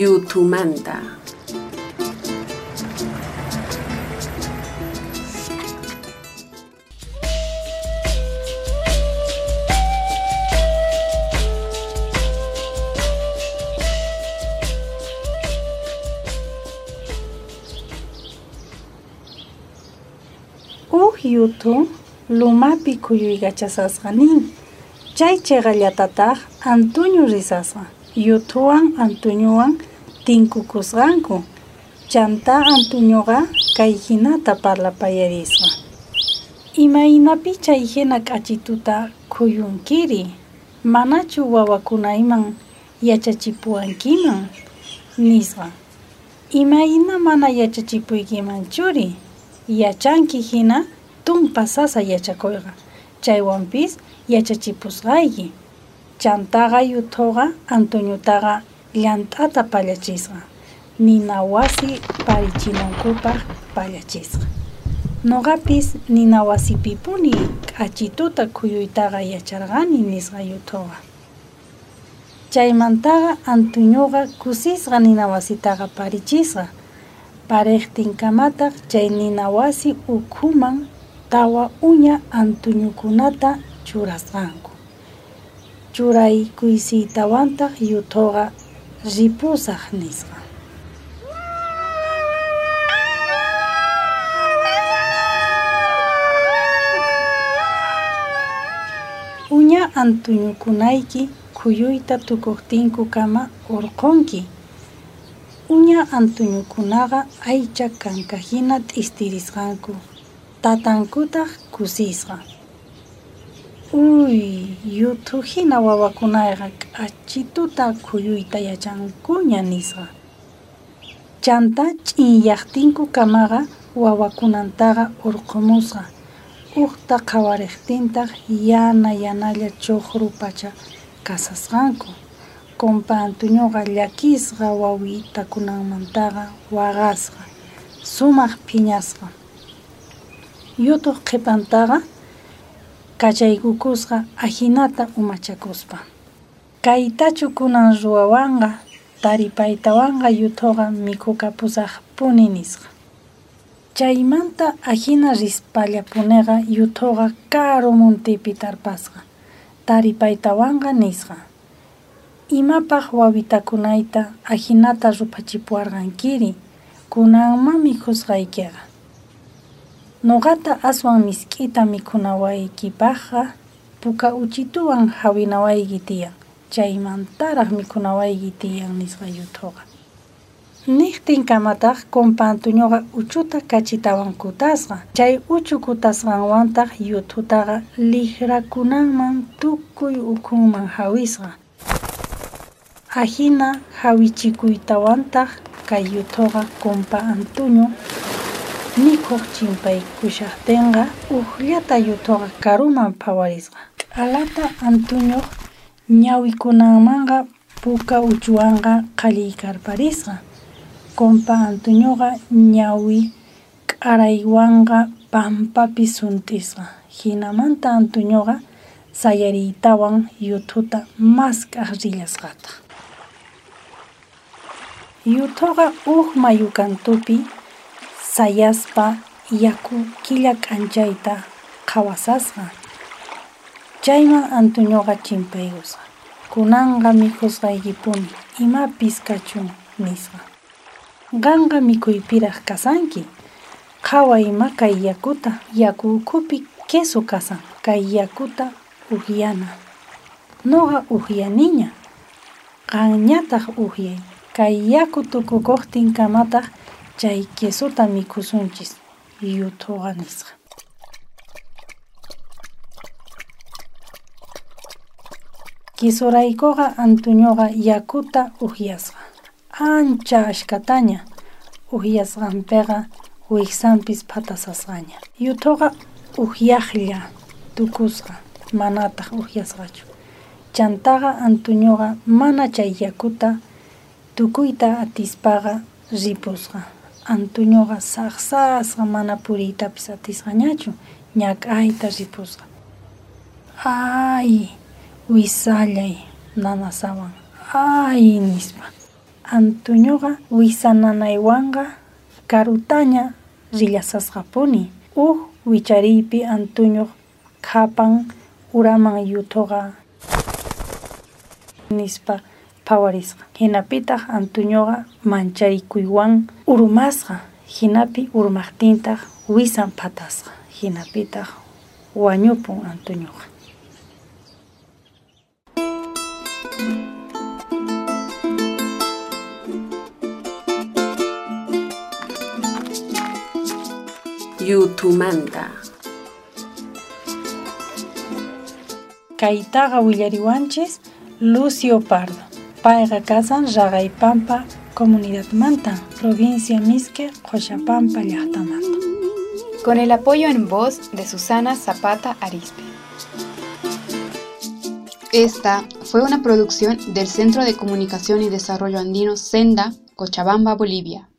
Yuthumanta. Uj yuthu lumapi khuyuykachasasqa nin. Chay cheqallatataj Antuñu risasqa. Yuthuwan Antuñuwan tinkukusqanku. Chantá Antuñuqa kay hinata parlapayarisqa. Imaynapi chay hina k'achituta khuyunkiri? Manachu wawakunayman yachachipuwankiman? Nisqa. Imayna mana yachachipuykiman churi? Yachanki hina tumpa sasa yachakuyqa. Chaywanpis yachachipusqayki. Chantaqa yuthuqa Antuñutaqa llant'ata pallachisqa. Nina wasi parichinankupaq pallachisqa. Noqapis nina wasipipuni k'achituta khuyuytaqa yacharqani nisqa yuthuqa. Chaymantaqa Antuñuqa kusisqa nina wasitaqa parichisqa. Pariqtinkamataq chay nina wasi ukhuman tawa uña antuñukunata churasqanku. Churaykuysiytawantaq yuthuqa ripusaq nisqa. Uña antuñukunayki khuyuyta tukuqtinkukama urqhunki. Uña antuñukunaqa aycha kankahina t'istirisqanku. Tatankutaq kusisqa. Uy, yuthu hina wawakunayqa k'achituta khuyuyta yachankuña nisqa. Chantá ch'inyaqtinkukamaqa wawakunantaqa urqhumusqa. Ujta qhawariqtintaq yana yanalla chuqru pacha kasasqanku. Compa Antuñuqa llakisqa wawitakunanmantaqa waqasqa, sumaq phiñasqa. Yuthuq qhipantaqa kachaykukusqa ajinata umachakuspa. Kaytachu kunan ruwawanqa taripaytawanqa yuthuqa mikhukapusaqpuni nisqa. Chaymanta ajina rispallapuniqa yuthuqa karu muntipi tarpasqa. Taripaytawanqa nisqa. Imapaq wawitakunayta ajinata ruphachipuwarqankiri, kunanma mikhusqaykiqa. Noqata aswan misk'ita mikhunawaykipaqqa puka uchituwan hawinawayki tiyan, chaymantaraq mikhunawayki tiyan nisqa yuthuqa. Niqtinkamataq compa Antuñuqa uchuta kachitawan kutasqa. Chay uchu kutasqanwantaq yuthutaqa liqrakunanman tukuy ukhunman hawisqa. Ajina hawichikuytawantaq kay yuthuqa compa Antuñu mikhuq chimpaykushaqtinqa ujllata yuthuqa karuman phawarisqa. Q'alata Antuñuq ñawikunanmanqa puka uchuwanqa qhalliykarparisqa. Compa Antuñuqa ñawi k'araywanqa pampapi sunt'isqa. Hinamanta Antuñuqa sayariytawan yuthuta mask'aq rillasqataq. Yuthuqa uj mayu kantupi sayaspa yaku killa k'anchayta qhawasasqa. Chayman Antuñuqa chimpaykusqa. Kunanqa mikhusqaykipuni imapis kachun nisqa. Qanqa mikhuypiraq kasanki. Qhaway ima kay yakuta, yaku ukhupi queso kasan, kay yakuta uhyana. Noqa uhyaniña, qanñataq uhyay. Kay yaku tukukuqtinkamataq chay quesota mikhusunchis, yuthuqa nisqa. Quesoraykuqa Antuñuqa yakuta uhyasqa. Ancha ashkataña uhyasqanpiqa wiksanpis phatasasqaña. Yuthuqa uhyaqlla tukusqa, manataq uhyasqachu. Chantaqa Antuñuqa mana chay yakuta tukuyta atispaqa ripusqa. Antuñuqa saqsasqa mana puriytapis atisqañachu, ñak'ayta ripusqa. Ay, wisallay nanasawan, ay nispa. Antuñuqa wisa nanaywanqa karutaña rillasasqapuni. Uj wichariypi Antuñuq khapan uraman yuthuqa nispa phawarisqa. Hinapitaq Antuñuqa mancharikuywan urmasqa. Hinapi urmaqtintaq wisan phatasqa. Hinapitaq wañupun Antuñuqa. Yuthumanta. Kaytaqa willariwanchis Lucio Pardo. Payqa kasan Raqaypampa comunidadmanta, provincia Misque, Qollapampa llaqtamanta. Con el apoyo en voz de Susana Zapata Arispe. Esta fue una producción del Centro de Comunicación y Desarrollo Andino Senda, Cochabamba, Bolivia.